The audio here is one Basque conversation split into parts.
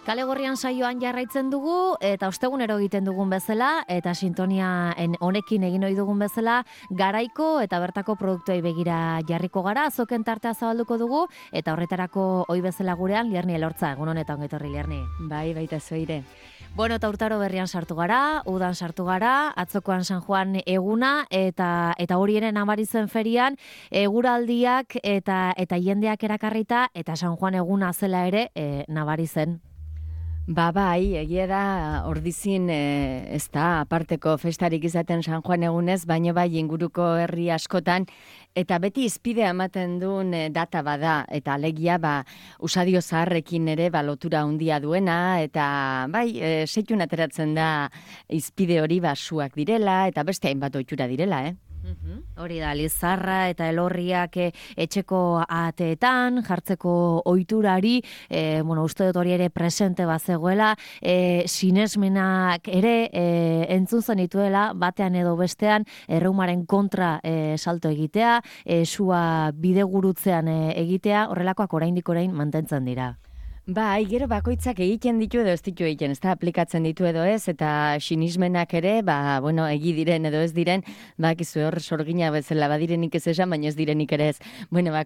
Kale Gorrian saioan jarraitzen dugu eta ostegunero egiten dugun bezala eta sintonia honekin egin ohi dugun bezala garaiko eta bertako produktuei begira jarriko gara, azoken tartea zabalduko dugu eta horretarako ohi bezala gurean Lierni Elortza, egun honetan ongi etorri Lierni. Bai, baita zoire. Bueno, eta urtaro berrian sartu gara, udan sartu gara, atzokoan San Juan eguna eta horienen Amarizen ferian eguraldiak eta jendeak erakarrita eta San Juan eguna zela ere nabari zen. Bai, egia da ordizin ez da aparteko festarik izaten San Juan egunez, baino bai inguruko herri askotan, eta beti izpidea ematen duen data bada, eta alegia usadio zaharrekin ere lotura handia duena, eta bai, seitun ateratzen da izpide hori suak direla, eta beste hainbat ohitura direla, Hori da, lizarra eta elorriak etxeko ateetan, jartzeko ohiturari, uste dut hori ere presente bazegoela, sinesmenak ere entzun zenituela, batean edo bestean, erreumaren kontra salto egitea, sua bidegurutzean egitea, horrelakoak oraindik orain mantentzen dira. Bai, gero bakoitzak egiten ditu edo ez ditu egiten, ez da, aplikatzen ditu edo ez, eta sinismenak ere, egi diren edo ez diren, bakizu hor sorgina bezala badirenik ez esan, baina ez direnik ere ez.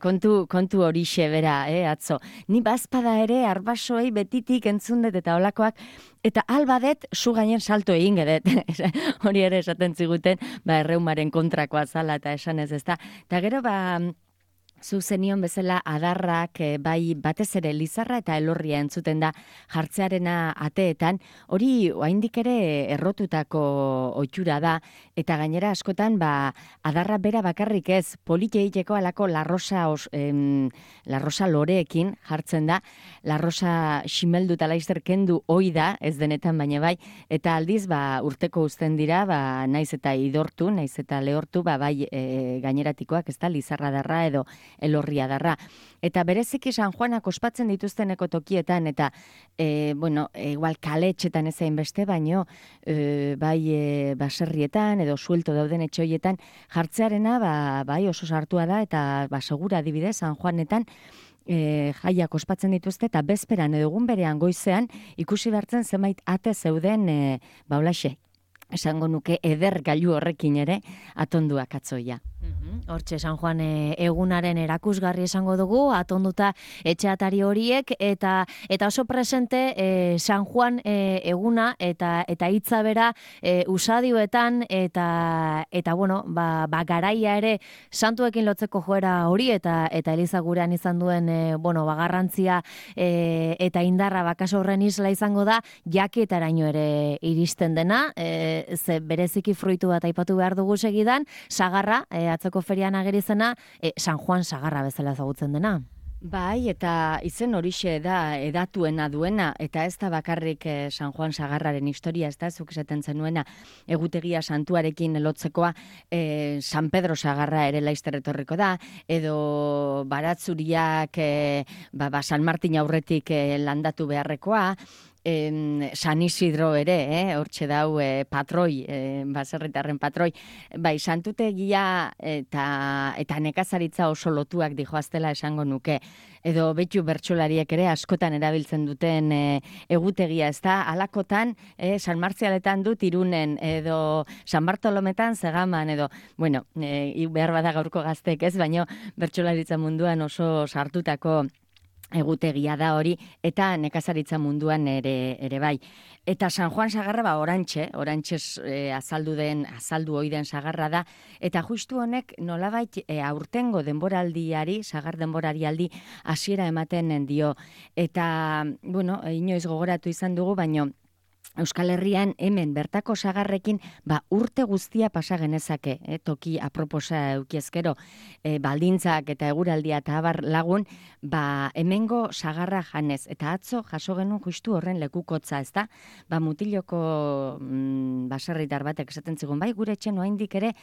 Kontu horixe bera, atzo. Ni bazpada ere, arbasoei betitik entzundet eta olakoak, eta albadet zu gainen salto egin gedet. Hori ere esaten ziguten, erreumaren kontrakoa zala eta esan ez da. Eta gero, zu zenion bezala adarrak, bai batez ere lizarra eta elorria entzuten da jartzearena ateetan, hori oraindik ere errotutako ohitura da, eta gainera askotan adarra bera bakarrik ez, polite egiteko alako larrosa loreekin jartzen da, larrosa ximeldu eta laizter kendu ohi da, ez denetan baina bai, eta aldiz urteko uzten dira, naiz eta idortu, naiz eta lehortu, bai gaineratikoak, ez da, lizarra darra edo elorria darra. Eta bereziki San Juanak ospatzen dituzteneko tokietan, eta, igual kaletxetan ezain beste, baino, bai baserrietan edo suelto dauden etxoietan, jartzearena, bai oso sartua da, eta segura adibidez, San Juanetan, jaiak ospatzen dituzte, eta bezperan edo egun berean goizean, ikusi behartzen zenbait ate zeuden, olaxe, esango nuke eder gailu horrekin ere, atonduak atzoia. Hortxe San Juan egunaren erakusgarri esango dugu, atonduta etxeatari horiek, eta oso presente San Juan eguna eta hitza bera usadioetan, eta garaia ere santuekin lotzeko joera hori, eta Eliza gurean izan duen garrantzia eta indarra bakaso horren isla izango da, jakietaraino ere iristen dena, ze bereziki fruitu bat aipatu behar dugu segidan, sagarra, atzoko ferian agerizena, San Juan sagarra bezala ezagutzen dena. Bai, eta izen horixe da edatuena duena, eta ez da bakarrik San Juan sagarraren historia, ez da, zuk esaten zenuena, egutegia santuarekin lotzekoa, San Pedro sagarra ere laizter etorriko da, edo baratzuriak San Martin aurretik landatu beharrekoa, San Isidro ere, hortxe dau patroi, baserritarren patroi, bai, santutegia eta nekazaritza oso lotuak dijoaztela esango nuke, edo betu bertsolariek ere askotan erabiltzen duten egutegia, ez da, alakotan, San Martzialetan dut Irunen, edo San Bartolometan Zegaman, edo, behar bada gaurko gaztek ez, baino bertsolaritza munduan oso sartutako egutegia da hori, eta nekazaritza munduan ere bai. Eta San Juan sagarra orantxe azaldu ohi den sagarra da, eta justu honek nolabait aurtengo denboraldiari, sagar denborarialdi hasiera ematen dio. Eta, inoiz gogoratu izan dugu, baino Euskal Herrian hemen bertako sagarrekin urte guztia pasa genezake, toki aproposa eukiezkero, baldintzak eta eguraldia eta abar lagun, hemengo sagarra janez. Eta atzo jaso genuen justu horren lekukotza, ez da? Mutiloko baserritar batek esaten zigun, gure etxen oraindik ere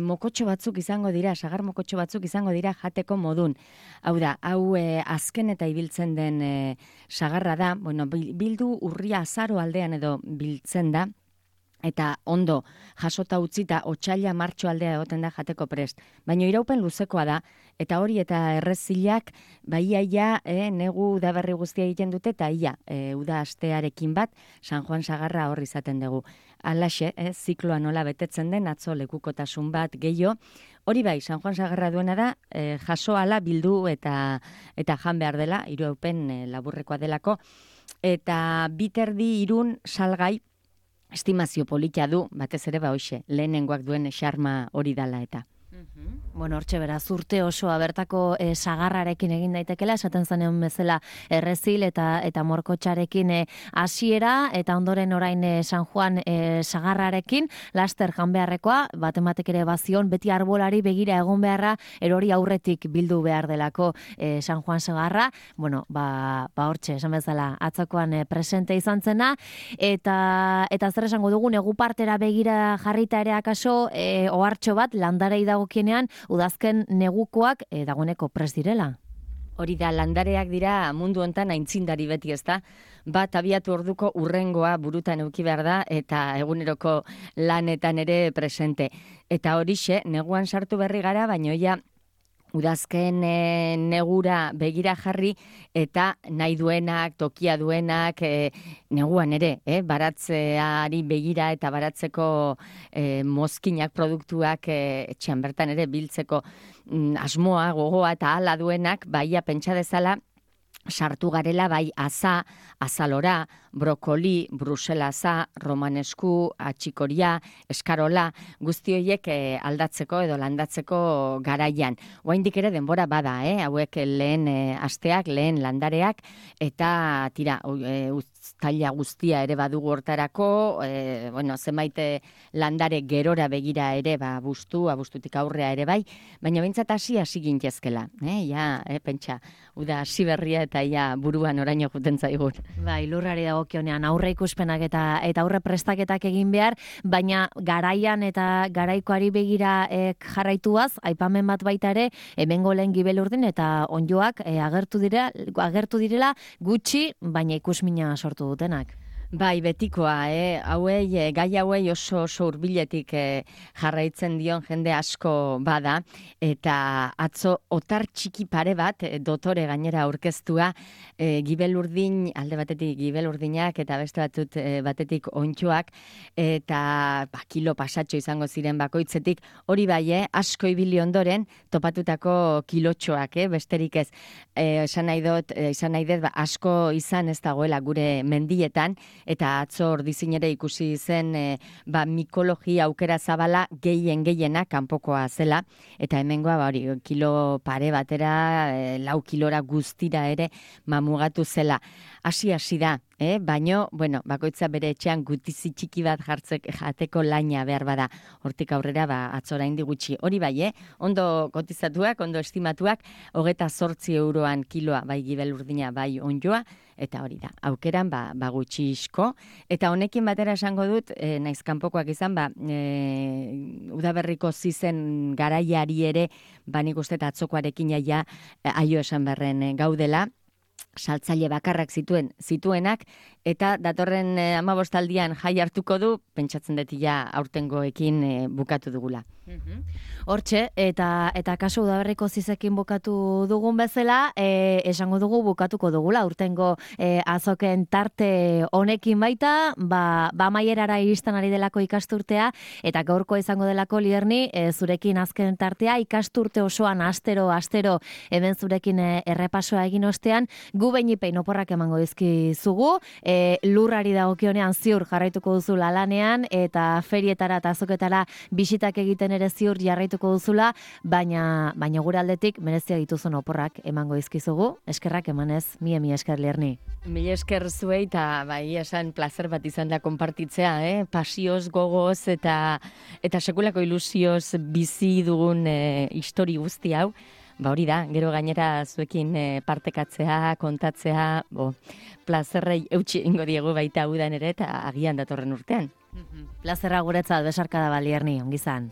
mokotxo batzuk izango dira, sagar mokotxo batzuk izango dira jateko modun. Hau da, azken eta ibiltzen den sagarra da, bildu urria azaro aldean edo biltzen da, eta ondo jasota utzita otsaila martxo aldea egoten da jateko prest. Baina iraupen luzekoa da, eta hori eta errezilak, iaia, negu udaberri guztia egiten dute, eta uda astearekin bat, San Juan sagarra hor izaten dugu. Alaxe, zikloa nola betetzen den, atzo lekukotasun bat gehiago. Hori bai, San Juan sagarra duena da, jaso ala bildu eta jan behar dela, iraupen laburrekoa delako, eta biterdi irun salgai, estimazio polita du, batez ere hoxe, lehenengoak duen xarma hori dala eta. Bueno, hortxe beraz, urte osoa bertako sagarrarekin egin daitekela, esaten zanean bezala errezil eta morkotxarekin hasiera eta ondoren orain San Juan sagarrarekin, laster jan beharrekoa, batematek ere bazion, beti arbolari begira egon beharra, erori aurretik bildu behar delako San Juan sagarra, bueno, hortxe, esan bezala, atzakoan presente izan zena, eta zer esango dugu, negu partera begira jarrita ere akaso, ohartxo bat, landarei dagokienean, udazken negukoak dagoeneko prest direla. Hori da, landareak dira mundu hontan aintzindari beti, ezta? Bat abiatu orduko urrengoa burutan eduki behar da eta eguneroko lanetan ere presente. Eta horixe, neguan sartu berri gara, baina udazken negura begira jarri eta nahi duenak, tokia duenak, neguan ere, baratzeari begira eta baratzeko mozkinak produktuak etxean bertan ere biltzeko asmoa, gogoa eta hala duenak, baia pentsa dezala, sartu garela bai azalora, brokoli, bruselaza, romanesku, atxikoria, eskarola, guzti horiek aldatzeko edo landatzeko garaian. Oraindik ere denbora bada, hauek lehen asteak, lehen landareak, eta tira, uztaila guztia ere badugu hortarako, zenbait landare gerora begira ere bustutik aurrea ere bai, baina behintzat hasi gintezkela. Pentsa, uda hasi berria eta buruan oraino juten zaigun. Bai, lurrari dagokionean aurre ikuspenak eta aurre prestaketak egin behar, baina garaian eta garaikoari begira jarraituaz, aipamen bat baita ere, hemengo lehen Gibelurdin eta onjoak agertu direla gutxi, baina ikusmina sortu dutenak. Bai, betikoa, gai hauei oso hurbiletik jarraitzen dion jende asko bada, eta atzo otar txiki pare bat, dotore gainera aurkeztua, Gibelurdin, alde batetik Gibelurdinak eta beste batetik ontxoak, eta kilo pasatxo izango ziren bakoitzetik, hori bai, asko ibili ondoren topatutako kilotxoak, besterik ez, izan nahi dut, asko izan ez dagoela gure mendietan, eta atzo ordizin ere ikusi zen mikologia aukera zabala gehienak kanpokoa zela, eta hemengoa kilo pare batera, 4 kilora guztira ere mamugatu zela. Hasi da, baino, bakoitza bere etxean gutizi txiki bat jateko laina behar bada, hortik aurrera atzora indi gutxi. Hori bai, ondo kotizatuak, ondo estimatuak, 28 euroan kiloa, bai Gibelurdina, bai onjoa, eta hori da, aukeran gutxi isko, eta honekin batera esango dut, naiz kanpokoak izan, udaberriko zizen garaiari ere, nik uste atzokoarekin aio esan berren gaudela, saltzaile bakarrak zituenak, eta datorren 15 jai hartuko du, pentsatzen dut aurtengoekin bukatu dugula. Hortxe, eta kasu udaberriko zizekin bukatu dugun bezala, esango dugu bukatuko dugula, aurtengo azoken tarte honekin baita, amaierara iristen ari delako ikasturtea, eta gaurko izango delako Lierni, zurekin azken tartea, ikasturte osoan astero, hemen zurekin errepasoa egin ostean, gu beinipein oporrak emango dizkizugu, lurrari dagokionean ziur jarraituko duzu lanean, eta ferietara eta azoketara bisitak egiten ere ziur jarraituko duzula, baina gure aldetik merezia dituzun oporrak emango dizkizugu, eskerrak emanez, mi esker Lierni. Mila esker zuei, eta esan plazer bat izan da konpartitzea, pasioz, gogoz, eta sekulako ilusioz bizi dugun histori guzti hau. Hori da, gero gainera zuekin partekatzea, kontatzea, plazerrei eutxi ingo diegu baita udan ere, eta agian datorren urtean. Plazerra guretzat, besarkada Lierni, ongizan.